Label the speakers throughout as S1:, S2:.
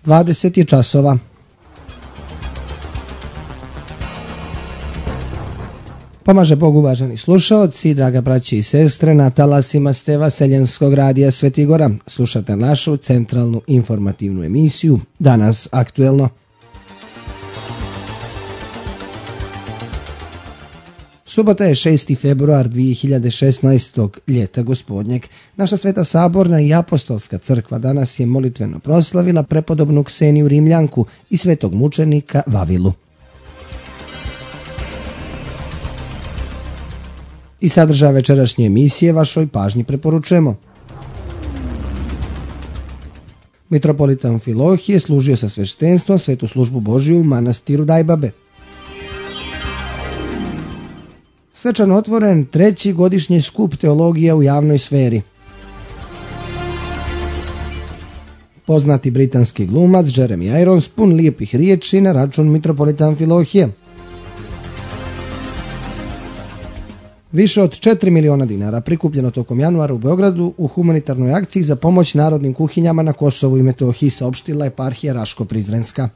S1: 20 je časova. Pomaže Bog, uvaženi slušaoci, draga braće i sestre, na talasima ste Vaseljenskog radija Svetigora. Slušate našu centralnu informativnu emisiju Danas aktuelno. Subota je 6. februar 2016. ljeta gospodnjeg. Naša Sveta Saborna i Apostolska crkva danas je molitveno proslavila prepodobnu Kseniju Rimljanku i svetog mučenika Vavilu. I sadržaj večerašnje emisije vašoj pažnji preporučujemo. Mitropolit Amfilohije služio sa sveštenstvom svetu službu Božiju u manastiru Dajbabe. Svečano otvoren 3. godišnji skup teologija u javnoj sferi. Poznati britanski glumac Jeremy Irons pun lijepih riječi na račun mitropolita Amfilohije. Više od 4 miliona dinara prikupljeno tokom januara u Beogradu u humanitarnoj akciji za pomoć narodnim kuhinjama na Kosovu i Metohiji, saopštila eparhija Raško-Prizrenska.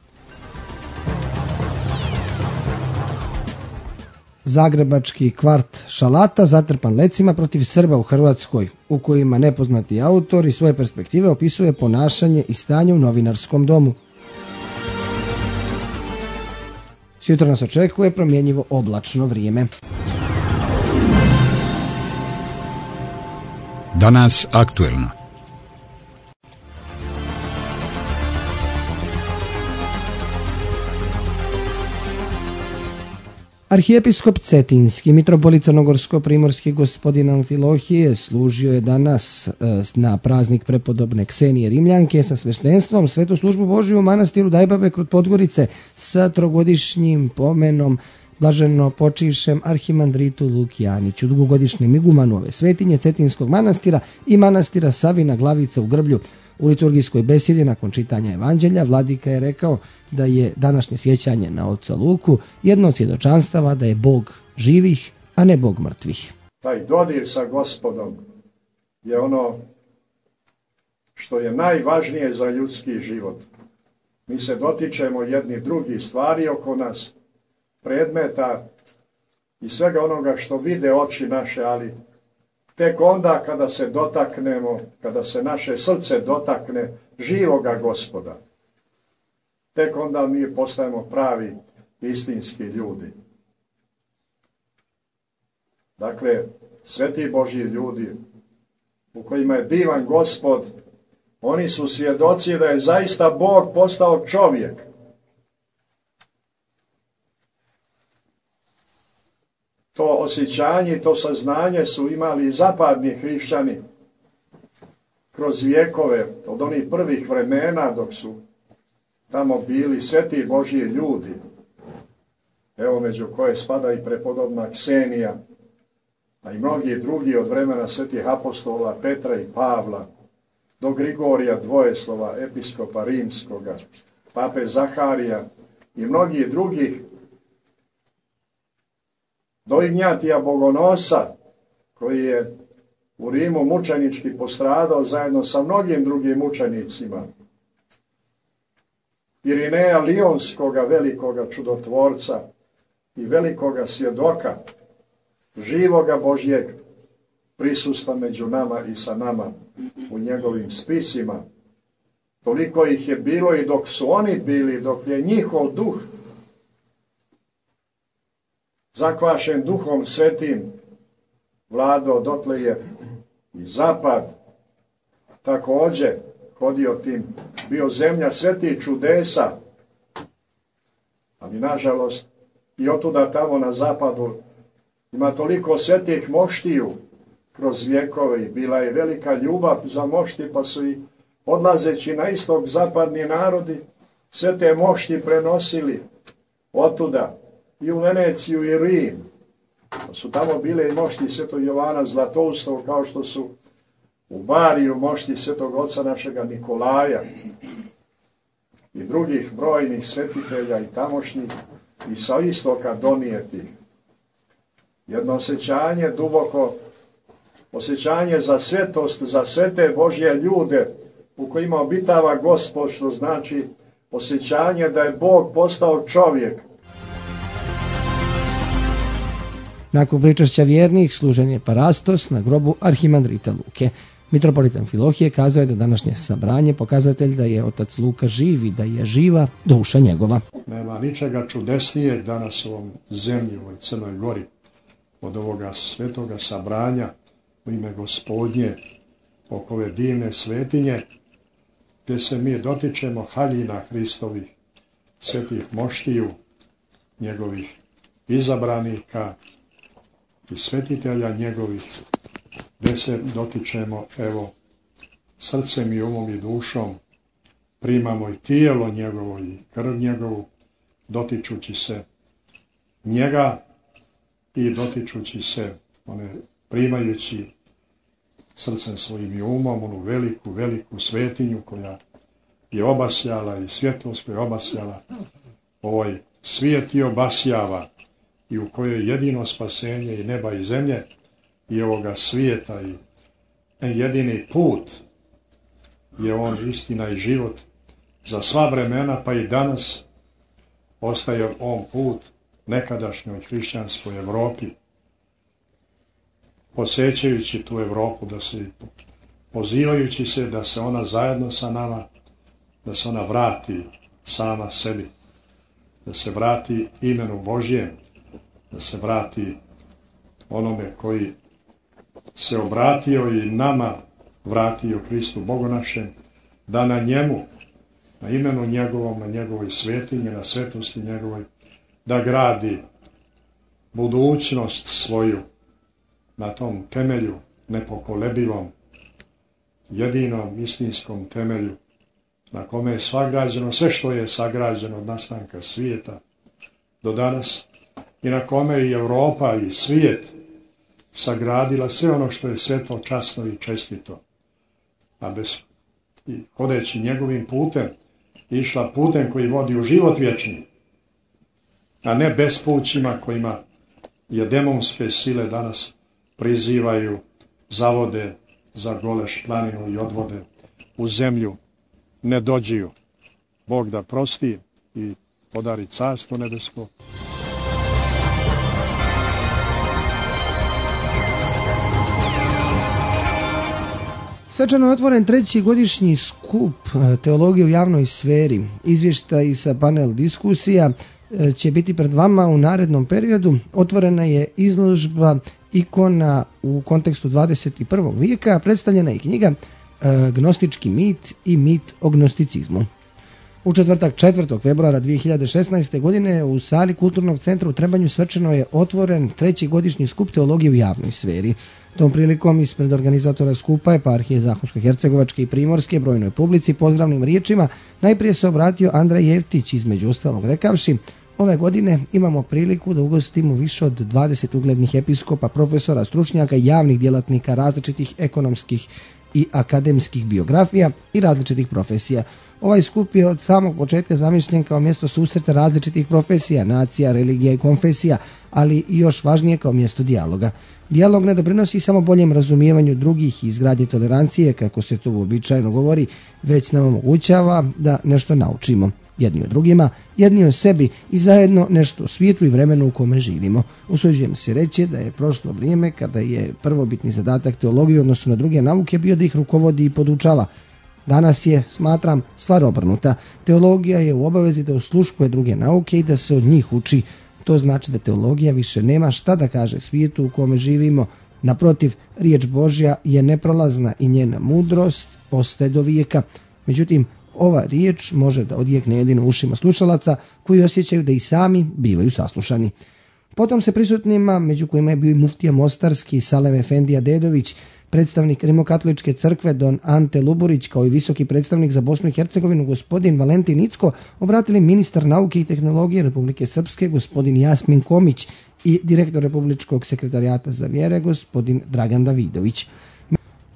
S1: Zagrebački kvart Šalata zatrpan lecima protiv Srba u Hrvatskoj, u kojima nepoznati autor iz svoje perspektive opisuje ponašanje i stanje u novinarskom domu. Sjutra nas očekuje promjenjivo oblačno vrijeme.
S2: Danas aktuelno.
S1: Arhijepiskop Cetinski, mitropolit crnogorsko-primorski gospodin Amfilohije, služio je danas na praznik prepodobne Ksenije Rimljanke sa sveštenstvom svetu službu Božiju u manastiru Dajbabe kod Podgorice sa trogodišnjim pomenom blaženo počivšem arhimandritu Lukijaniću, dugogodišnjem igumanu ove svetinje Cetinskog manastira i manastira Savina Glavica u Grblju. U liturgijskoj besedi nakon čitanja evanđelja vladika je rekao da je današnje sjećanje na oca Luku jedno od svjedočanstava da je Bog živih, a ne Bog mrtvih.
S3: Taj dodir sa Gospodom je ono što je najvažnije za ljudski život. Mi se dotičemo jedni drugih stvari oko nas, predmeta i svega onoga što vide oči naše, ali tek onda kada se dotaknemo, kada se naše srce dotakne živoga Gospoda, tek onda mi postajemo pravi istinski ljudi. Dakle, sveti Božji ljudi u kojima je divan Gospod, oni su svjedoci da je zaista Bog postao čovjek. To osjećanje i to saznanje su imali i zapadni hrišćani kroz vjekove, od onih prvih vremena dok su tamo bili sveti Božji ljudi. Evo među koje spada i prepodobna Ksenija, a i mnogi drugi od vremena svetih apostola Petra i Pavla, do Grigorija Dvojeslova, episkopa rimskoga, pape Zaharija i mnogih drugih, do Ignjatija Bogonosa, koji je u Rimu mučenički postradao zajedno sa mnogim drugim mučenicima, Irineja Lionskoga, velikoga čudotvorca i velikoga svjedoka živoga Božjeg prisustva među nama i sa nama u njegovim spisima. Toliko ih je bilo i dok su oni bili, dok je njihov duh zakvašen duhom svetim vladao, dotle je i zapad također hodio tim, bio zemlja svetih čudesa, ali nažalost i otuda tamo na zapadu ima toliko svetih moštiju kroz vjekove i bila je velika ljubav za mošti, pa su i odlazeći na istok zapadni narodi sve te mošti prenosili otuda i u Veneciju i Rim. Pa su tamo bile i mošti svetog Jovana Zlatoustog, kao što su u Bariju mošti svetog oca našega Nikolaja i drugih brojnih svetitelja i tamošnjih i sa istoka donijeti. Jedno osjećanje, duboko osjećanje za svetost, za svete Božje ljude u kojima obitava Gospod, što znači osjećanje da je Bog postao čovjek.
S1: Nakon pričašća vjernih služen je parastos na grobu arhimandrita Luke. Mitropolit Amfilohije kazao je da današnje sabranje pokazatelj da je otac Luka živ i da je živa duša njegova.
S3: Nema ničega čudesnijeg danas u ovom zemlji, u ovoj Crnoj Gori, od ovoga svetoga sabranja u ime Gospodnje oko ove divne svetinje, gdje se mi dotičemo haljina Hristovih, svetih moštiju, njegovih izabranika i svetitelja njegovih, gdje se dotičemo, evo, srcem i umom i dušom, primamo i tijelo njegovo i krv njegovu, dotičući se njega i dotičući se, primajući srcem svojim i umom onu veliku, veliku svetinju koja je obasjala i svjetlost koja je obasjala ovaj svijet i obasjava i u kojoj je jedino spasenje i neba i zemlje i ovoga svijeta i jedini put je on istina i život za sva vremena, pa i danas ostaje on put nekadašnjoj hrišćanskoj Evropi, posjećajući tu Evropu, da se pozivajući se da se ona zajedno sa nama, da se ona vrati sama sebi, da se vrati imenu Božjem, da se vrati onome koji se obratio i nama vratio Kristu Bogu našem, da na njemu, na imenu njegovom, na njegovoj svetinji, na svetosti njegovoj, da gradi budućnost svoju na tom temelju nepokolebivom, jedinom istinskom temelju na kome je sagrađeno sve što je sagrađeno od nastanka svijeta do danas i na kome je i Europa i svijet sagradila sve ono što je sveto, časno i čestito, a hodeći njegovim putem, išla putem koji vodi u život vječni, a ne bespućima kojima je demonske sile danas prizivaju, zavode za goleš planinu i odvode u zemlju, ne dođiju. Bog da prosti i podari carstvo nebesko.
S1: Svečano je otvoren treći godišnji skup teologije u javnoj sferi. Izvještaj sa panel diskusija će biti pred vama u narednom periodu. Otvorena je izložba ikona u kontekstu 21. vijeka, predstavljena je knjiga Gnostički mit i mit o gnosticizmu. U četvrtak 4. februara 2016. godine u sali Kulturnog centra u Trebanju svečano je otvoren treći godišnji skup teologije u javnoj sferi. Tom prilikom ispred organizatora skupa eparhije Zahumsko-hercegovačke i Primorske brojnoj publici pozdravnim riječima najprije se obratio Andrej Jeftić, između ostalog rekavši: ove godine imamo priliku da ugostimo više od 20 uglednih episkopa, profesora, stručnjaka i javnih djelatnika različitih ekonomskih i akademskih biografija i različitih profesija. Ovaj skup je od samog početka zamišljen kao mjesto susreta različitih profesija, nacija, religija i konfesija, ali i još važnije kao mjesto dijaloga. Dijalog ne doprinosi samo boljem razumijevanju drugih i izgradnji tolerancije, kako se to uobičajeno govori, već nam omogućava da nešto naučimo. Jedni o drugima, jedni o sebi i zajedno nešto o svijetu i vremenu u kome živimo. Usuđujem se reći da je prošlo vrijeme kada je prvobitni zadatak teologije u odnosu na druge nauke bio da ih rukovodi i podučava. Danas je, smatram, stvar obrnuta. Teologija je u obavezi da osluškuje druge nauke i da se od njih uči. To znači da teologija više nema šta da kaže svijetu u kome živimo. Naprotiv, riječ Božja je neprolazna i njena mudrost ostaje do vijeka. Međutim, ova riječ može da odjekne jedino ušima slušalaca koji osjećaju da i sami bivaju saslušani. Potom se prisutnima, među kojima je bio i muftija Mostarski Salem Efendija Dedović, predstavnik Rimokatoličke crkve don Ante Luburić, kao i visoki predstavnik za Bosnu i Hercegovinu gospodin Valentin Icko, obratili ministar nauke i tehnologije Republike Srpske gospodin Jasmin Komić i direktor Republičkog sekretarijata za vjere gospodin Dragan Davidović.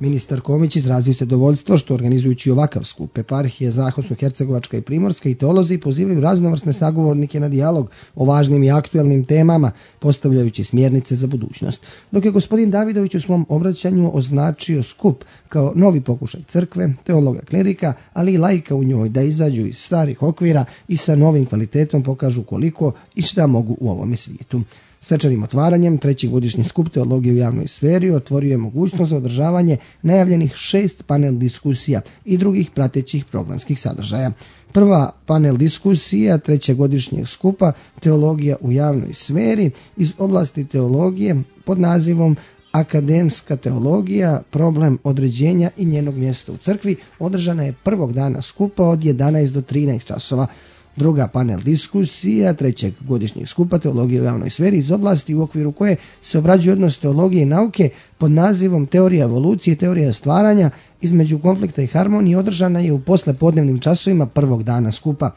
S1: Ministar Komić izrazio se zadovoljstvo što organizujući ovakav skup eparhije Zahodno-hercegovačka i Primorska i teolozi pozivaju raznovrsne sagovornike na dijalog o važnim i aktuelnim temama, postavljajući smjernice za budućnost. Dok je gospodin Davidović u svom obraćanju označio skup kao novi pokušaj crkve, teologa, klerika, ali i laika u njoj da izađu iz starih okvira i sa novim kvalitetom pokažu koliko i šta mogu u ovome svijetu. Svečanim otvaranjem treći godišnji skup teologije u javnoj sferi otvorio je mogućnost za održavanje najavljenih 6 panel diskusija i drugih pratećih programskih sadržaja. Prva panel diskusija trećegodišnjeg skupa teologija u javnoj sferi iz oblasti teologije pod nazivom Akademska teologija, problem određenja i njenog mjesta u crkvi održana je prvog dana skupa od 11 do 13 časova. Druga panel diskusija trećeg godišnjeg skupa teologije u javnoj sferi iz oblasti u okviru koje se obrađuje odnos teologije i nauke pod nazivom Teorija evolucije i teorija stvaranja između konflikta i harmonije održana je u poslepodnevnim časovima prvog dana skupa.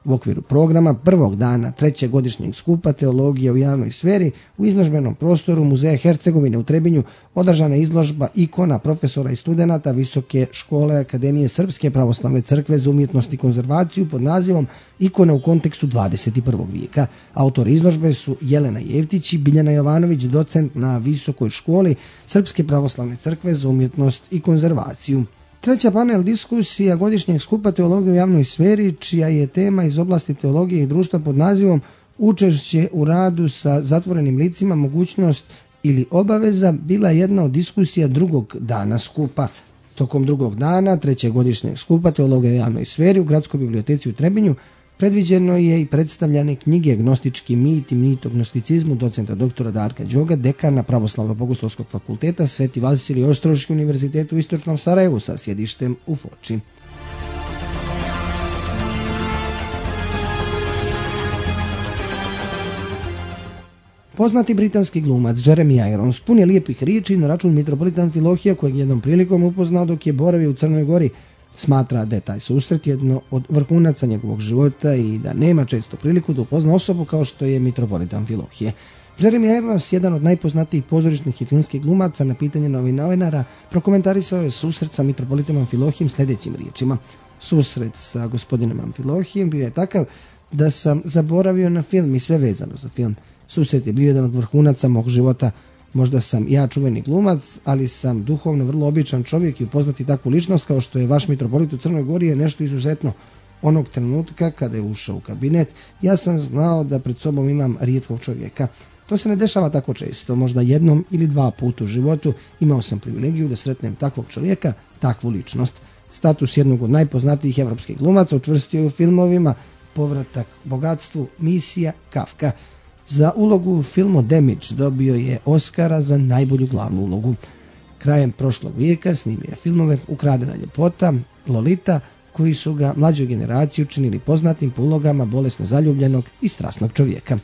S1: U okviru programa prvog dana trećeg godišnjeg skupa teologije u javnoj sferi u izložbenom prostoru Muzeja Hercegovine u Trebinju održana je izložba ikona profesora i studenata Visoke škole Akademije Srpske pravoslavne crkve za umjetnost i konzervaciju pod nazivom Ikona u kontekstu 21. vijeka. Autori izložbe su Jelena Jevtić i Biljana Jovanović, docent na Visokoj školi Srpske pravoslavne crkve za umjetnost i konzervaciju. Treća panel diskusija godišnjeg skupa teologije u javnoj sferi, čija je tema iz oblasti teologije i društva pod nazivom Učešće u radu sa zatvorenim licima, mogućnost ili obaveza, bila jedna od diskusija drugog dana skupa. Tokom drugog dana trećeg godišnjeg skupa teologije u javnoj sferi u Gradskoj biblioteci u Trebinju predviđeno je i predstavljanje knjige Gnostički mit i mit o gnosticizmu docenta doktora Darka Đoga, dekana Pravoslavno-bogoslovskog fakulteta Sveti Vasilij Ostroški univerzitet u Istočnom Sarajevu sa sjedištem u Foči. Poznati britanski glumac Jeremy Irons pun je lijepih riječi na račun mitropolita Amfilohija, kojeg jednom prilikom upoznao dok je boravio u Crnoj Gori. Smatra da je taj susret jedno od vrhunaca njegovog života i da nema često priliku da upozna osobu kao što je mitropolit Amfilohije. Jeremy Irons, jedan od najpoznatijih pozorišnih i filmskih glumaca, na pitanje novinara prokomentarisao je susret sa mitropolitom Amfilohijem sljedećim riječima. Susret sa gospodinom Amfilohijem bio je takav da sam zaboravio na film i sve vezano za film. Susret je bio jedan od vrhunaca mog života. Možda sam ja čuveni glumac, ali sam duhovno vrlo običan čovjek i upoznati takvu ličnost kao što je vaš mitropolit u Crnoj Gori je nešto izuzetno. Onog trenutka kada je ušao u kabinet, ja sam znao da pred sobom imam rijetkog čovjeka. To se ne dešava tako često, možda jednom ili dva puta u životu imao sam privilegiju da sretnem takvog čovjeka, takvu ličnost. Status jednog od najpoznatijih evropskih glumaca učvrstio je u filmovima Povratak bogatstvu, Misija, Kafka. Za ulogu u filmu Damage dobio je Oscara za najbolju glavnu ulogu. Krajem prošlog vijeka snimio je filmove Ukradena ljepota, Lolita, koji su ga mlađoj generaciji učinili poznatim po ulogama bolesno zaljubljenog i strasnog čovjeka.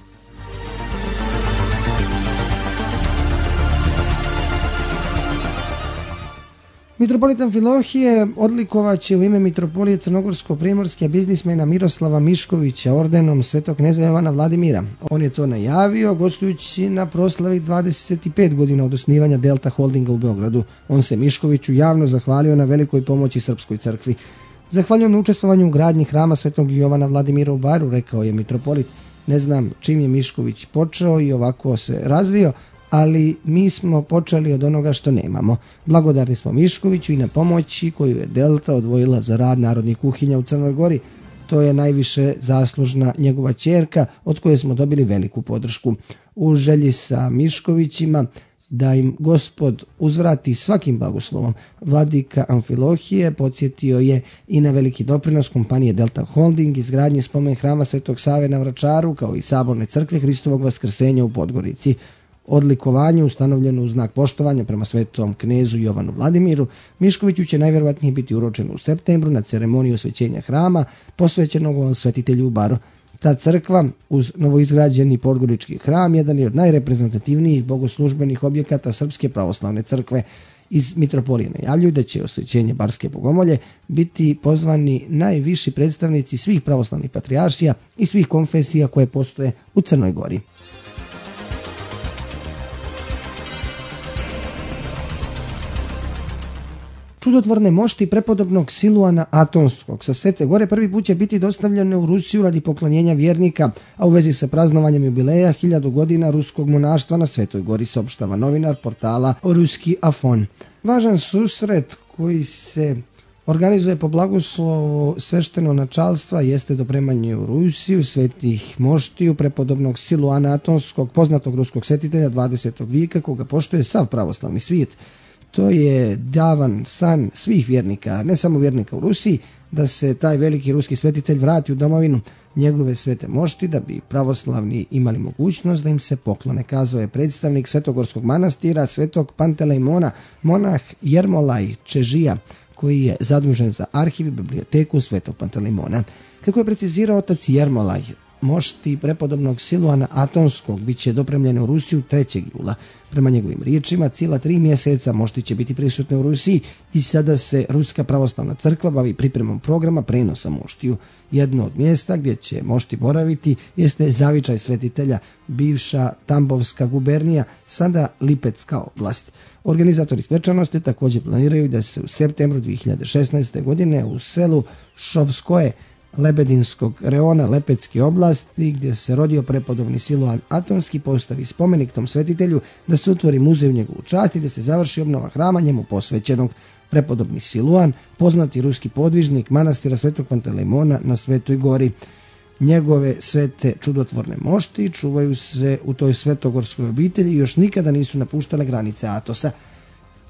S1: Mitropolit Amfilohije odlikovaće u ime mitropolije Crnogorsko-primorske biznismena Miroslava Miškovića ordenom svetog kneza Jovana Vladimira. On je to najavio gostujući na proslavi 25 godina od osnivanja Delta Holdinga u Beogradu. On se Miškoviću javno zahvalio na velikoj pomoći Srpskoj crkvi. Zahvaljujem na učestvovanju u gradnji hrama svetog Jovana Vladimira u Baru, rekao je mitropolit. Ne znam čim je Mišković počeo i ovako se razvio, ali mi smo počeli od onoga što nemamo. Blagodarni smo Miškoviću i na pomoći koju je Delta odvojila za rad narodnih kuhinja u Crnoj Gori. To je najviše zaslužna njegova ćerka od koje smo dobili veliku podršku. U želji sa Miškovićima da im Gospod uzvrati svakim blagoslovom, vladika Amfilohije podsjetio je i na veliki doprinos kompanije Delta Holding izgradnje spomen hrama Svetog Save na Vračaru kao i Saborne crkve Hristovog Vaskrsenja u Podgorici. Odlikovanje ustanovljeno u znak poštovanja prema svetom knezu Jovanu Vladimiru Miškoviću će najvjerojatnije biti uročeno u septembru na ceremoniju osvećenja hrama posvećenog svetitelju u Baru. Ta crkva uz novoizgrađeni podgorički hram jedan je od najreprezentativnijih bogoslužbenih objekata Srpske pravoslavne crkve. Iz mitropolije najavljuju da će osvećenje Barske bogomolje biti pozvani najviši predstavnici svih pravoslavnih patrijaršija i svih konfesija koje postoje u Crnoj Gori. čudotvorne mošti prepodobnog Siluana Atonskog sa Svete Gore prvi put će biti dostavljene u Rusiju radi poklonjenja vjernika, a u vezi sa praznovanjem jubileja 1000 godina ruskog monaštva na Svetoj Gori, saopštava novinar portala Ruski Afon. Važan susret koji se organizuje po blagoslovu svešteno načalstva jeste dopremanje u Rusiju svetih moštiju prepodobnog Siluana Atonskog, poznatog ruskog svetitelja 20. vijeka, koga poštuje sav pravoslavni svijet. To je davan san svih vjernika, ne samo vjernika u Rusiji, da se taj veliki ruski svetitelj vrati u domovinu njegove svete mošti, da bi pravoslavni imali mogućnost da im se poklone, kazao je predstavnik Svetogorskog manastira Svetog Pantelejmona, monah Jermolaj Čežija, koji je zadužen za arhiv i biblioteku Svetog Pantelejmona. Kako je precizirao otac Jermolaj, mošti prepodobnog Siluana Atonskog bit će dopremljene u Rusiju 3. jula. Prema njegovim riječima, cijela 3 mjeseca mošti će biti prisutne u Rusiji i sada se Ruska pravoslavna crkva bavi pripremom programa prenosa moštiju. Jedno od mjesta gdje će mošti boraviti jeste zavičaj svetitelja, bivša Tambovska gubernija, sada Lipetska oblast. Organizatori svečanosti također planiraju da se u septembru 2016. godine u selu Šovskoje Lebedinskog reona Lepetske oblasti, gdje se rodio prepodobni Siluan Atonski, postavi spomenik tom svetitelju, da se otvori muzej u njegovu čast i da se završi obnova hrama njemu posvećenog. Prepodobni Siluan, poznati ruski podvižnik manastira Svetog Pantelejmona na Svetoj Gori. Njegove svete čudotvorne mošti čuvaju se u toj svetogorskoj obitelji i još nikada nisu napuštale granice Atosa.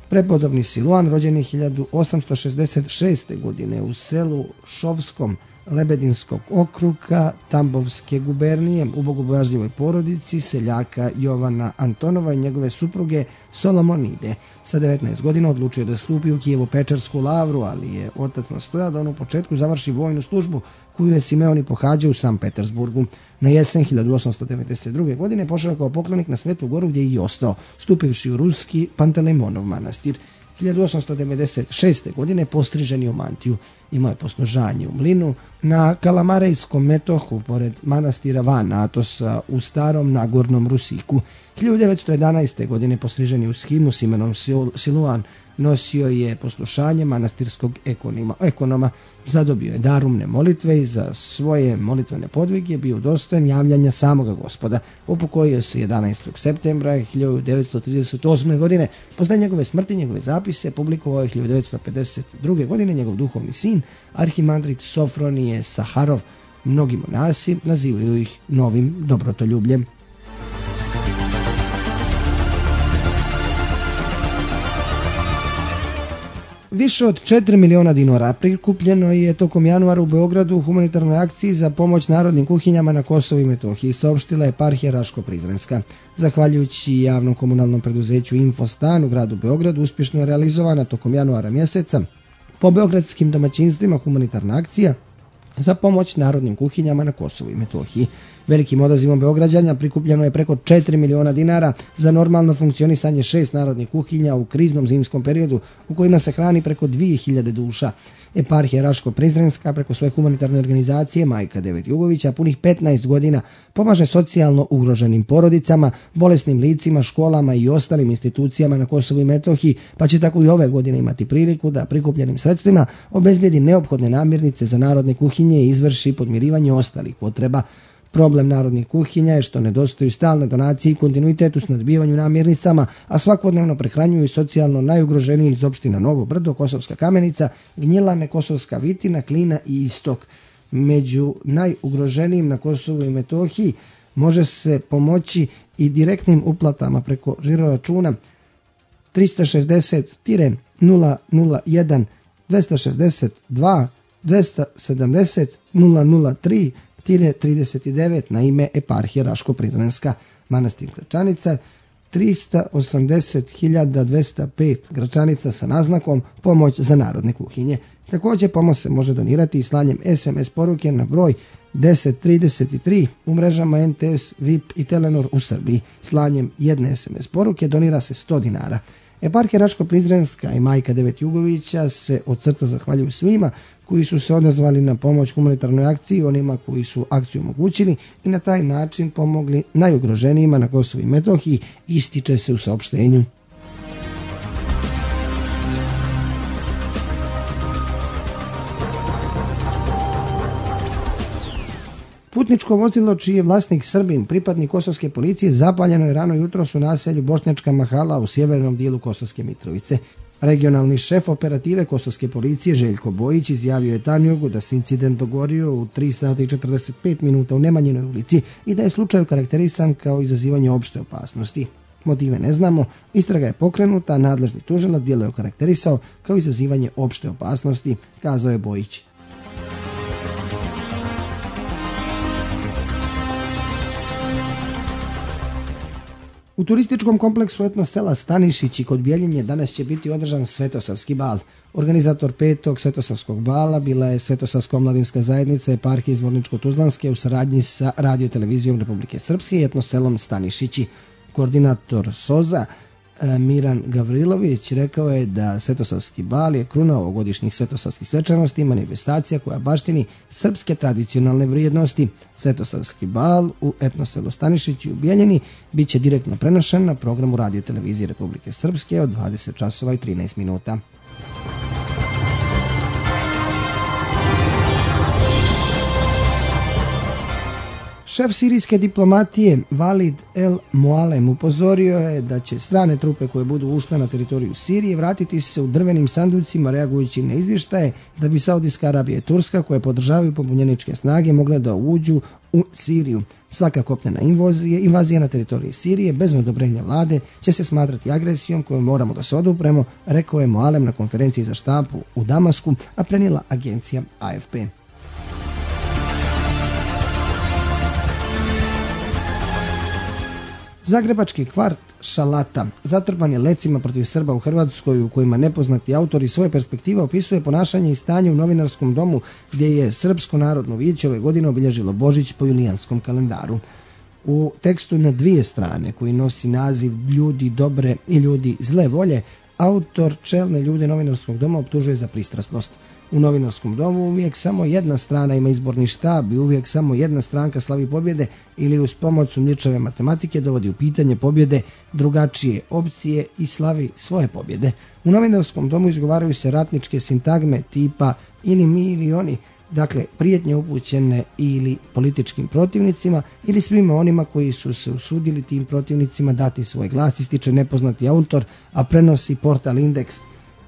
S1: Prepodobni Siluan rođen je 1866. godine u selu Šovskom Lebedinskog okruga Tambovske gubernije u bogobojažljivoj porodici seljaka Jovana Antonova i njegove supruge Solomonide. Sa 19 godina odlučio da stupi u Kijevo-Pečarsku lavru, ali je otac nastojao da on u početku završi vojnu službu koju je Simeoni pohađao u Sankt Petersburgu. Na jesen 1892. godine pošao kao poklonik na Svetu Goru, gdje je i ostao, stupivši u ruski Pantelejmonov manastir. 1896. godine postrižen je u mantiju. Imao je poslužanje u mlinu na Kalamarejskom metohu pored manastira van Atosa u starom Nagornom Rusiku. 1911. godine postrižen je u shimu s imenom Siluan. Nosio je poslušanje manastirskog ekonoma, zadobio je darumne molitve i za svoje molitvene podvige bio dostojan javljanja samoga Gospoda. Upokojio se 11. septembra 1938. godine. Posle njegove smrti njegove zapise publikovao je 1952. godine njegov duhovni sin, arhimandrit Sofronije Saharov. Mnogi monasi nazivaju ih novim dobrotoljubljem. Više od 4 miliona dinara prikupljeno je tokom januara u Beogradu u humanitarnoj akciji za pomoć narodnim kuhinjama na Kosovu i Metohiji, saopštila eparhija Raško-Prizrenska. Zahvaljujući javnom komunalnom preduzeću Infostan u gradu Beogradu, uspješno je realizovana tokom januara mjeseca po beogradskim domaćinstvima humanitarna akcija za pomoć narodnim kuhinjama na Kosovu i Metohiji. Velikim odazivom Beograđana prikupljeno je preko 4 miliona dinara za normalno funkcionisanje 6 narodnih kuhinja u kriznom zimskom periodu u kojima se hrani preko 2000 duša. Eparhija Raško-Prizrenska preko svoje humanitarne organizacije Majka Devet Jugovića punih 15 godina pomaže socijalno ugroženim porodicama, bolesnim licima, školama i ostalim institucijama na Kosovu i Metohiji, pa će tako i ove godine imati priliku da prikupljenim sredstvima obezbijedi neophodne namirnice za narodne kuhinje i izvrši podmirivanje ostalih potreba. Problem narodnih kuhinja je što nedostaju stalne donacije i kontinuitet u snadbivanju namirnicama, a svakodnevno prehranjuju socijalno najugroženijih iz opština Novo Brdo, Kosovska Kamenica, Gnjilane, Kosovska Vitina, Klina i Istok. Među najugroženijim na Kosovu i Metohiji može se pomoći i direktnim uplatama preko žiroračuna 360-001 262 270 003 39 na ime eparhije Raško-Prizrenska. Manastir Gračanica 380.205 Gračanica sa naznakom pomoć za narodne kuhinje. Također pomoć se može donirati i slanjem SMS poruke na broj 1033 u mrežama NTS, VIP i Telenor u Srbiji. Slanjem jedne SMS poruke donira se 100 dinara. Eparhija Raško-Prizrenska i Majka Devet Jugovića se od srca zahvaljuju svima koji su se odazvali na pomoć humanitarnoj akciji, onima koji su akciju omogućili i na taj način pomogli najugroženijima na Kosovu i Metohiji, ističe se u saopštenju. Putničko vozilo čiji je vlasnik Srbin, pripadnik kosovske policije, zapaljeno je rano jutros u naselju Bošnjačka Mahala u sjevernom dijelu Kosovske Mitrovice. Regionalni šef operative kosovske policije Željko Bojić izjavio je Tanjugu da se incident dogodio u 3 sata i 45 minuta u Nemanjinoj ulici i da je slučaj karakterisan kao izazivanje opšte opasnosti. Motive ne znamo, istraga je pokrenuta, nadležni tužilac djelo je okarakterisao kao izazivanje opšte opasnosti, kazao je Bojić. U turističkom kompleksu etno sela Stanišići kod Bjeljine danas će biti održan Svetosavski bal. Organizator 5. Svetosavskog bala bila je Svetosavska omladinska zajednica eparhije Zvorničko-Tuzlanske u saradnji sa Radio-televizijom Republike Srpske i etno selom Stanišići. Koordinator SOZA Miran Gavrilović rekao je da Svetosavski bal je kruna ovogodišnjih svetosavskih svečanosti i manifestacija koja baštini srpske tradicionalne vrijednosti. Svetosavski bal u etnoselu Stanišići u Bijeljini bit će direktno prenošen na programu Radio-televizije Republike Srpske od 20 časova i 13 minuta. Šef sirijske diplomatije Valid El Mualem upozorio je da će strane trupe koje budu ušle na teritoriju Sirije vratiti se u drvenim sanducima reagujući na izvještaje da bi Saudijska Arabija i Turska koje podržavaju pobunjeničke snage mogle da uđu u Siriju. Svaka kopnena invazija na teritoriji Sirije bez odobrenja vlade će se smatrati agresijom koju moramo da se odupremo, rekao je Mualem na konferenciji za štampu u Damasku, a prenijela agencija AFP. Zagrebački kvart Šalata zatrpan je lecima protiv Srba u Hrvatskoj u kojima nepoznati autor iz svoje perspektive opisuje ponašanje i stanje u Novinarskom domu gdje je Srpsko narodno vijeće ove godine obilježilo Božić po julijanskom kalendaru. U tekstu na 2 strane koji nosi naziv Ljudi dobre i ljudi zle volje, autor čelne ljude Novinarskog doma optužuje za pristrasnost. U Novinarskom domu uvijek samo jedna strana ima izborni štab i uvijek samo jedna stranka slavi pobjede ili uz pomoć sumnjičave matematike dovodi u pitanje pobjede drugačije opcije i slavi svoje pobjede. U Novinarskom domu izgovaraju se ratničke sintagme tipa ili mi ili oni, dakle prijetnje upućene ili političkim protivnicima ili svima onima koji su se usudili tim protivnicima dati svoj glas, ističe nepoznati autor, a prenosi portal Indeks.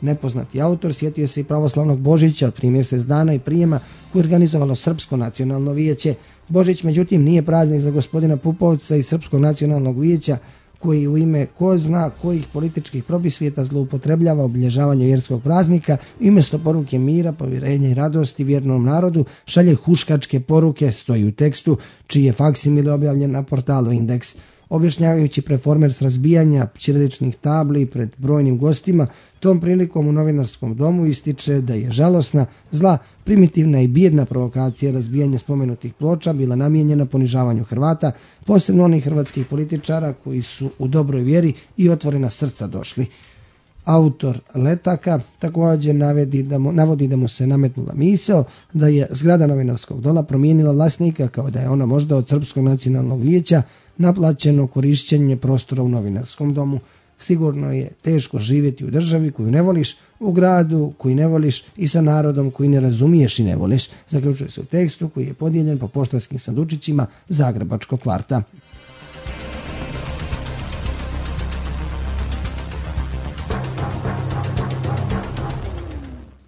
S1: Nepoznati autor sjetio se i pravoslavnog Božića od 3 mjesec dana i prijema koje je organizovalo Srpsko nacionalno vijeće. Božić međutim nije praznik za gospodina Pupovca iz Srpskog nacionalnog vijeća koji u ime ko zna kojih političkih probisvijeta zloupotrebljava obilježavanje vjerskog praznika i umjesto poruke mira, povjerenja i radosti vjernom narodu šalje huškačke poruke, stoji u tekstu čiji je faksimil objavljen na portalu Indeks. Objašnjavajući performers razbijanja ćiriličnih tabli pred brojnim gostima, tom prilikom u Novinarskom domu ističe da je žalosna, zla, primitivna i bijedna provokacija razbijanja spomenutih ploča bila namijenjena ponižavanju Hrvata, posebno onih hrvatskih političara koji su u dobroj vjeri i otvorena srca došli. Autor letaka također navodi da mu se nametnula misao da je zgrada Novinarskog doma promijenila vlasnika kao da je ona možda od Srpskog nacionalnog vijeća naplaćeno korišćenje prostora u Novinarskom domu. Sigurno je teško živjeti u državi koju ne voliš, u gradu koji ne voliš i sa narodom koji ne razumiješ i ne voliš, zaključuje se u tekstu koji je podijeljen po poštanskim sandučićima Zagrebačkog kvarta.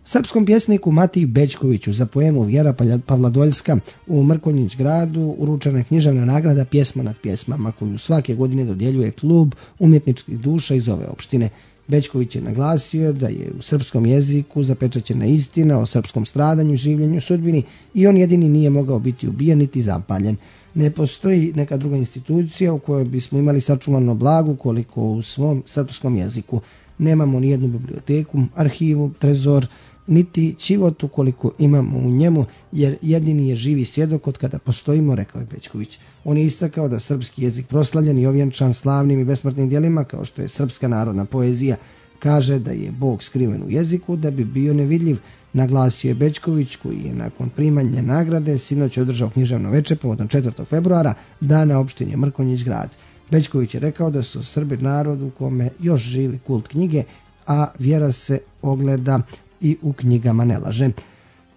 S1: Srpskom pjesniku Matiji Bećkoviću za poemu Vjera Pavladoljska u Mrkonjić gradu uručena je književna nagrada Pjesma nad pjesmama koju svake godine dodjeljuje klub umjetničkih duša iz ove opštine. Bećković je naglasio da je u srpskom jeziku zapečaćena istina o srpskom stradanju, življenju, sudbini i on jedini nije mogao biti ubijen niti zapaljen. Ne postoji neka druga institucija u kojoj bismo imali sačuvano blago koliko u svom srpskom jeziku. Nemamo ni jednu biblioteku, arhivu, trezor, niti čivotu koliko imamo u njemu, jer jedini je živi svjedok od kada postojimo, rekao je Bećković. On je istakao da srpski jezik proslavljen i ovjenčan slavnim i besmrtnim djelima kao što je srpska narodna poezija. Kaže da je Bog skriven u jeziku da bi bio nevidljiv, naglasio je Bećković koji je nakon primanja nagrade sinoć održao književno veče povodom 4. februara, dana opštine Mrkonjić grad. Bećković je rekao da su Srbi narod u kome još živi kult knjige, a vjera se ogleda i u knjigama ne laže.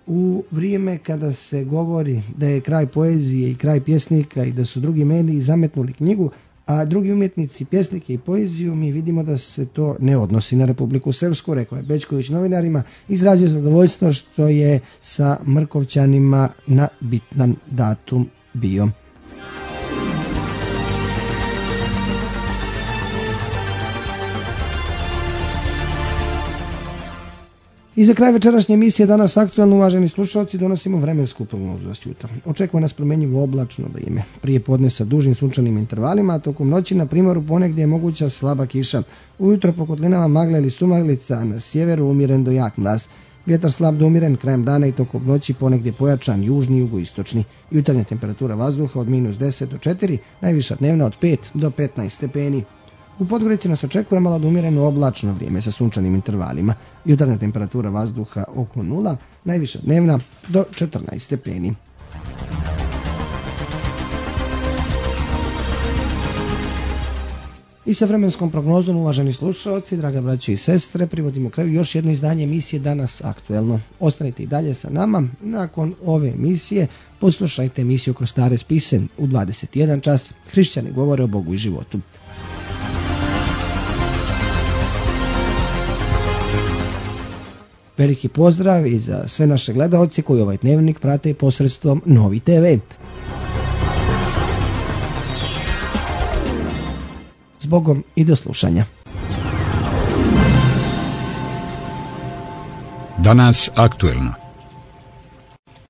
S1: u vrijeme kada se govori da je kraj poezije i kraj pjesnika i da su drugi mediji zametnuli knjigu, a drugi umjetnici pjesnike i poeziju, mi vidimo da se to ne odnosi na Republiku Srpsku, rekao je Bećković novinarima, izrazio zadovoljstvo što je sa Mrkovčanima na bitan datum bio. I za kraj večerašnje emisije Danas aktualno, uvaženi slušalci, donosimo vremensku prognozu za jutar. Očekuje nas promjenjivo oblačno vrijeme. Prije podne sa dužim sunčanim intervalima, a tokom noći na primoru ponegdje je moguća slaba kiša. Ujutro po kotlinama magla ili sumaglica, a na sjeveru umjeren do jak mraz. Vjetar slab do umjeren, krajem dana i tokom noći ponegdje pojačan južni i jugoistočni. Jutarnja temperatura vazduha od -10 do 4, najviša dnevna od 5 do 15 stepeni. U Podgorici nas očekuje malo do umjereno oblačno vrijeme sa sunčanim intervalima. Jutarnja temperatura vazduha oko 0, najviša dnevna do 14 stepeni. I sa vremenskom prognozom, uvaženi slušalci, draga braće i sestre, privodimo kraju još jedno izdanje emisije Danas aktuelno. Ostanite i dalje sa nama. Nakon ove emisije poslušajte emisiju Kroz stare spise u 21 čas. Hrišćani govore o Bogu i životu. Veliki pozdrav i za sve naše gledaoci koji ovaj dnevnik prate posredstvom Novi TV. Zbogom i do slušanja.
S2: Danas aktuelno.